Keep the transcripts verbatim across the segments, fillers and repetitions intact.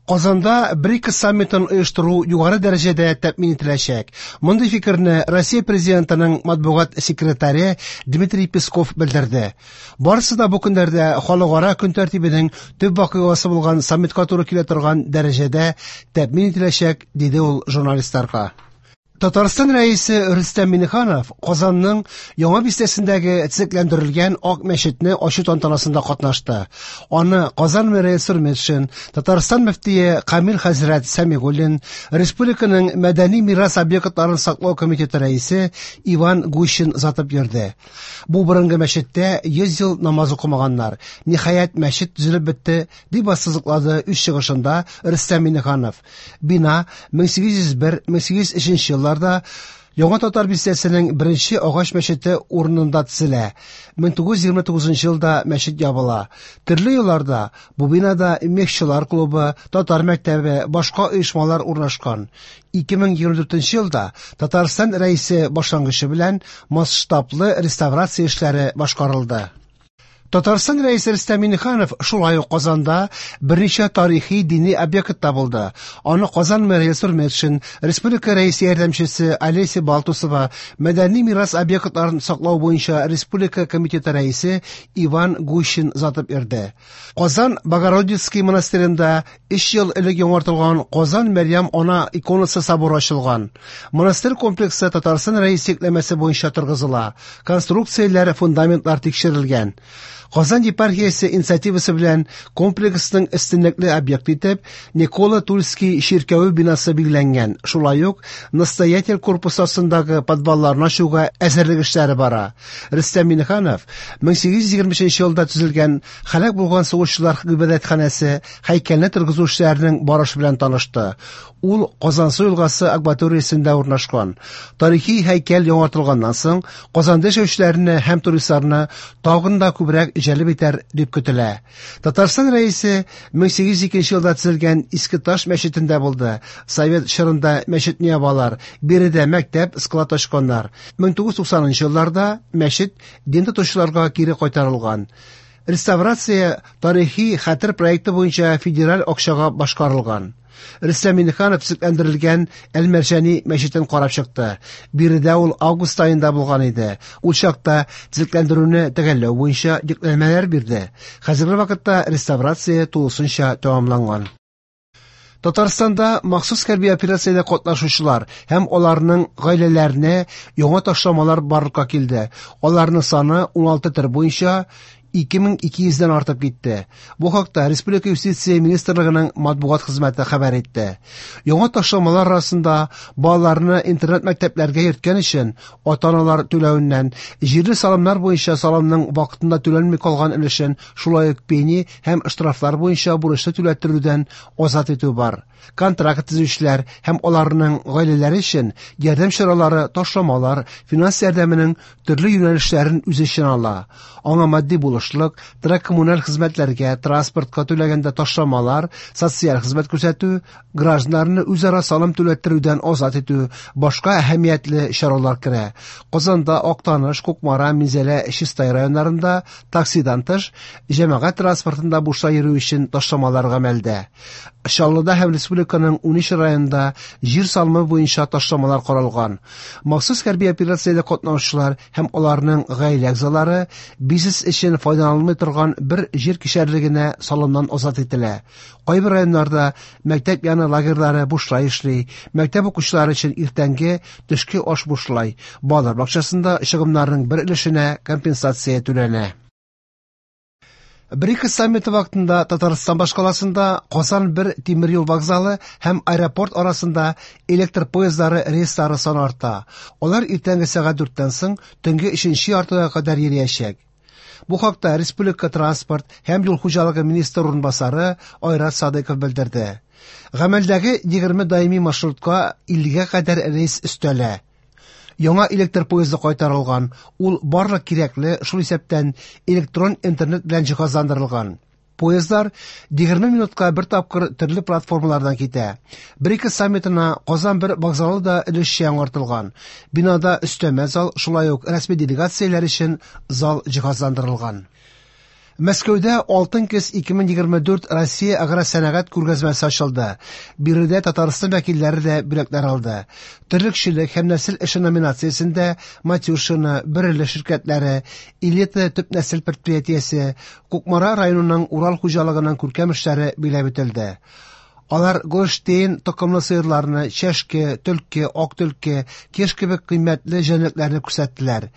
Казанда БРИКС саммитын оештыру югары дәрәҗәдә тәэмин ителәчәк. Мондый фикерне Россия президентының матбугат секретаре Дмитрий Песков белдерде. Барысы да бу көннәрдә халыкара көн тәртибенең төп вакыйгасы булган саммитка туры килә торган дәрәҗәдә тәэмин ителәчәк, диде ул журналистларга. Татарстан Рәисе Рөстәм Миңнеханов Казанның Яңа бистәсендәге төзекләндерелгән Ак мәчетне ачу тантанасында катнашты. Аны Казан мэры Илсур Метшин, Татарстан мөфтие Камил хәзрәт Сәмигуллин, республиканың мәдәни мирас объектларын саклау комитеты рәисе Иван Гущин озатып йөрде. Бу борынгы мәчеттә йөз ел намаз укымаганнар. Ниһаять, мәчет төзелеп бетте, дип ассызыклады үз чыгышында Рөстәм Миңнеханов. Бина мең сигез йөз бер — мең сигез йөз өченче елларда Яңа Татар бистәсенең беренче агач мәчете урынында төзелә. мең тугыз йөз егерме тугызынчы елда мәчет ябыла. Төрле елларда бу бинада мехчылар клубы, татар мәктәбе, башка оешмалар урнашкан. ике мең егерме дүртенче елда Татарстан Рәисе башлангычы белән масштаблы реставрация эшләре башкарылды. Татарстан Рәисе Рөстәм Миңнеханов шулай ук Казанда берничә тарихи дини объектта булды. Аны Казан мэры Илсур Метшин, республика рәисе ярдәмчесе Олеся Балтусова, мәдәни мирас объектларын саклау буенча республика комитеты рәисе Иван Гущин озатып йөрде. Казан Богородицкий монастыренда өч ел элек яңартылган Казан Мәрьям Ана иконасы соборы ачылган. Монастырь комплексы Татарстан Рәисе йөкләмәсе буенча торгызыла. Конструкцияләре, фундаментлар тикшерелгән. Казан епархиясе инициативасы белән комплексның өстенлекле объекты итеп Никола Тульский чиркәве бинасы билгеләнгән. Шулай ук настоятель корпусы астындагы подвалларны ачуга әзерлек эшләре бара. Рөстәм Миңнеханов мең сигез йөз егерме өченче елда төзелгән һәлак булган сугышчылар гыйбадәтханәсе һәйкәлне торгызу эшләренең барышы белән танышты. Ул Казансу елгасы акваториясендә урнашкан. Тарихи һәйкәл яңартылганнан соң Казанда яшәүчеләрне һәм туристларны тагын да күбрәк җәлеп итәр дип көтелә. Татарстан Рәисе мең сигез йөз икенче елда төзелгән Иске Таш мәчетендә булды. Совет чорында мәчетне ябалар, биредә мәктәп, склад ачканнар. мең тугыз йөз туксанынчы елларда мәчет дин тотучыларга кире кайтарылган. Реставрация тарихи хәтер проекты буенча федераль акчага башкарылган. Рөстәм Миңнеханов төзекләндерелгән Әл-Мәрҗани мәчетен карап чыкты. Биредә ул август аенда булган иде. Ул чакта төзекләндерүне төгәлләү буенча йөкләмәләр бирде. Хәзерге вакытта реставрация тулысынча тәмамланган. Татарстанда махсус хәрби операциядә катнашучылар һәм аларның гаиләләренә яңа ташламалар барлыкка килде. Аларның саны уналты төр буенча ике мең ике йөздән артып китте. Бу хакта Республика Юстиция министрлыгының матбугат хезмәте хәбәр итте. Яңа ташламалар арасында балаларны интернат мәктәпләргә йөрткән өчен ата-аналар түләвеннән, җирле салымнар буенча салымның вакытында түләнми калган өлешен, шулай ук пени һәм штрафлар буенча бурычны түләттерүдән азат итү бар. Контракт төзүчеләр һәм аларның гаиләләре өчен ярдәм чаралары, ташламалар, финанс ярдәменең төрле юнәлешләрен үз эченә ала. Аңа матди булышлык, торак-коммуналь хезмәтләргә, транспортка түләгәндә ташламалар, социаль хезмәт күрсәтү, гражданнарны үзара салым түләттерүдән азат итү, башка әһәмиятле чаралар керә. Казанда, Актаныш, Кукмара, Минзәлә, Чистай районнарында таксидан тыш җәмәгать транспортында бушлай йөрү өчен ташламалар гамәлдә. Чаллыда һәм республиканың унөч районында җир салымы буенча ташламалар каралган. Махсус хәрби операциядә катнашучылар һәм аларның гаилә әгъзалары бизнес өчен файдаланылмый торган бер җир кишәрлегенә салымнан азат ителә. Кайбер районнарда мәктәп яны лагерьлары бушлай эшли, мәктәп укучылары өчен иртәнге, төшке аш бушлай, балалар бакчасында чыгымнарның бер өлешенә компенсация түләнә. БРИКС саммиты вакытында Татарстан башкаласында Казан бер тимер юл вокзалы һәм аэропорт арасында электр поездлары рейслары саны арта. Алар иртәнге сәгать дүрттән соң төнге өченче яртыга кадәр йөриячәк. Бу хакта Республика транспорт һәм юл хуҗалыгы министры урынбасары Айрат Садыков белдерде. Гамәлдәге егерме даими маршрутка иллегә кадәр рейс өстәлә. Яңа электр поезды кайтарылган, ул барлык кирәкле, шул исәптән электрон интернет белән җиһазландырылган. Поездлар егерме минутка бер тапкыр төрле платформалардан китә. БРИКС саммитына Казан бер вокзалы да өлешчә яңартылган. Бинада өстәмә зал, шулай ук рәсми делегацияләр өчен зал җиһазландырылган. Мәскәүдә Алтын көз ике мең егерме дүрт Россия агросәнәгать күргәзмәсе ачылды. Биредә Татарстан вәкилләре дә бүләкләр алды. Терлекчелек һәм нәсел эше номинациясендә Матюшино, Бөреле ширкәтләре, Элита төп нәсел предприятиесе, Кукмара районының Урал хуҗалыгының күркәм эшләре биләп үтелде. Алар Голштейн токымлы сыерларны, чәшке, төлке, ак төлке, кеш кебек кыйммәтле җәнлекләрне күрсәттеләр.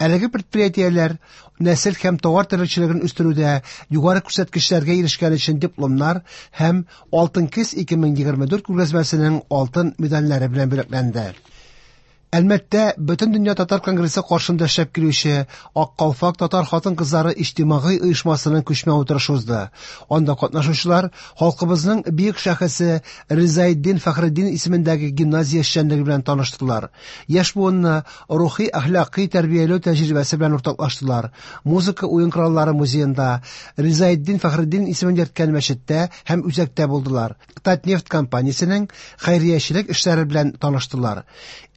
Әлеге предприятиеләр нәсел һәм товар терлекчелеген үстерүдә югары күрсәткечләргә ирешкән өчен дипломнар һәм Алтын көз ике мең егерме дүрт күргәзмәсенең алтын медальләре белән бүләкләнде. Әлмәттә Бөтендөнья татар конгрессы каршында эшләп килүче Ак калфак татар хатын-кызлары иҗтимагый оешмасының күчмә утырышы узды. Анда катнашучылар халкыбызның бөек шәхесе Ризаэддин Фәхретдин исемендәге гимназия эшчәнлеге белән таныштылар. Яшь буынны рухи әхлакый тәрбияләү тәҗрибәсе белән уртаклаштылар. Музыка уен кораллары музеенда, Ризаэддин Фәхретдин исемен йөрткән мәчеттә һәм үзәктә булдылар. Татнефть компаниясенең хәйриячелек эшләре белән таныштылар.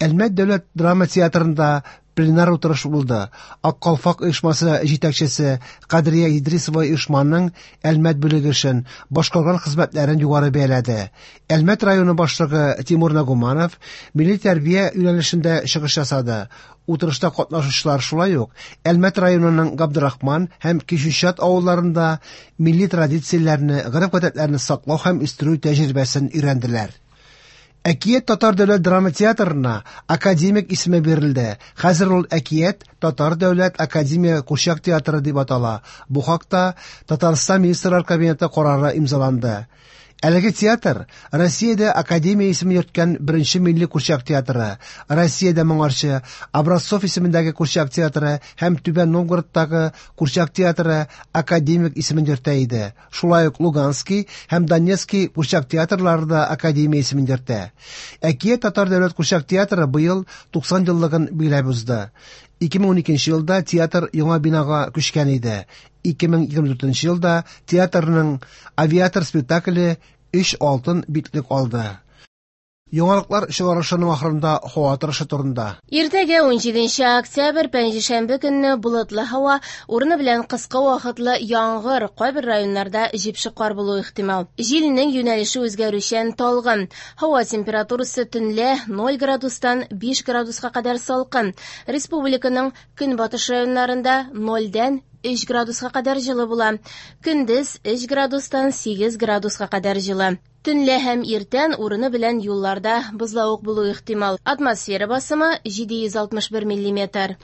Әлмәт дәүләт драма театрында пленар утырыш булды. Ак калфак оешмасы җитәкчесе Кадрия Идрисова оешманың Әлмәт бүлеге эшен, башкарган хезмәтләрен югары бәяләде. Әлмәт районы башлыгы Тимур Нагуманов милли тәрбия юнәлешендә чыгыш ясады. Утырышта катнашучылар шулай ук Әлмәт районының Габдрахман һәм Кичүчат авылларында милли традицияләрне, гореф-гадәтләрне саклау һәм үстерү тәҗрибәсен өйрәнделәр. Әкият татар дәүләт драма театрына академик исеме бирелде. Хәзер ул Әкият татар дәүләт академия курчак театры дип атала. Бу хакта Татарстан Министрлар Кабинеты карары имзаланды. Әлеге театр Россиядә академия исемен йөрткән беренче милли курчак театры, Россиядә моңарчы Образцов исемендәге курчак театры һәм Түбән Новгородтагы курчак театры академик исемен йөртә иде. Шулай ук Луганский һәм Донецкий курчак театрлары да академия исемен йөртә. Әкият татар дәүләт курчак театры быел туксан еллыгын биләп узды. Ике мең уникенче елда театр яңа бинага күчкән иде. Ике мең егерме дүртенче елда театрның Авиатор спектакле өч алтын битлек алды. Яңалыклар чыгарылышының ахырында һава торышы турында. Иртәгә унҗиденче октябрь пәнҗешәмбе көнне болытлы һава, урыны белән кыска вакытлы яңгыр, кайбер районнарда җепшек кар булуы ихтимал. Җилнең юнәлеше үзгәрүчән талгын. Һава температурасы төнлә ноль градустан биш градуска кадәр салкын. Республиканың көнбатыш районнарында нольдән өч градуска кадәр җылы була. Көндез өч градустан сигез градуска кадәр җылы. Төнлә һәм иртән урыны белән юлларда бозлавык булу ихтимал. Атмосфера басымы җиде йөз алтмыш бер миллиметр.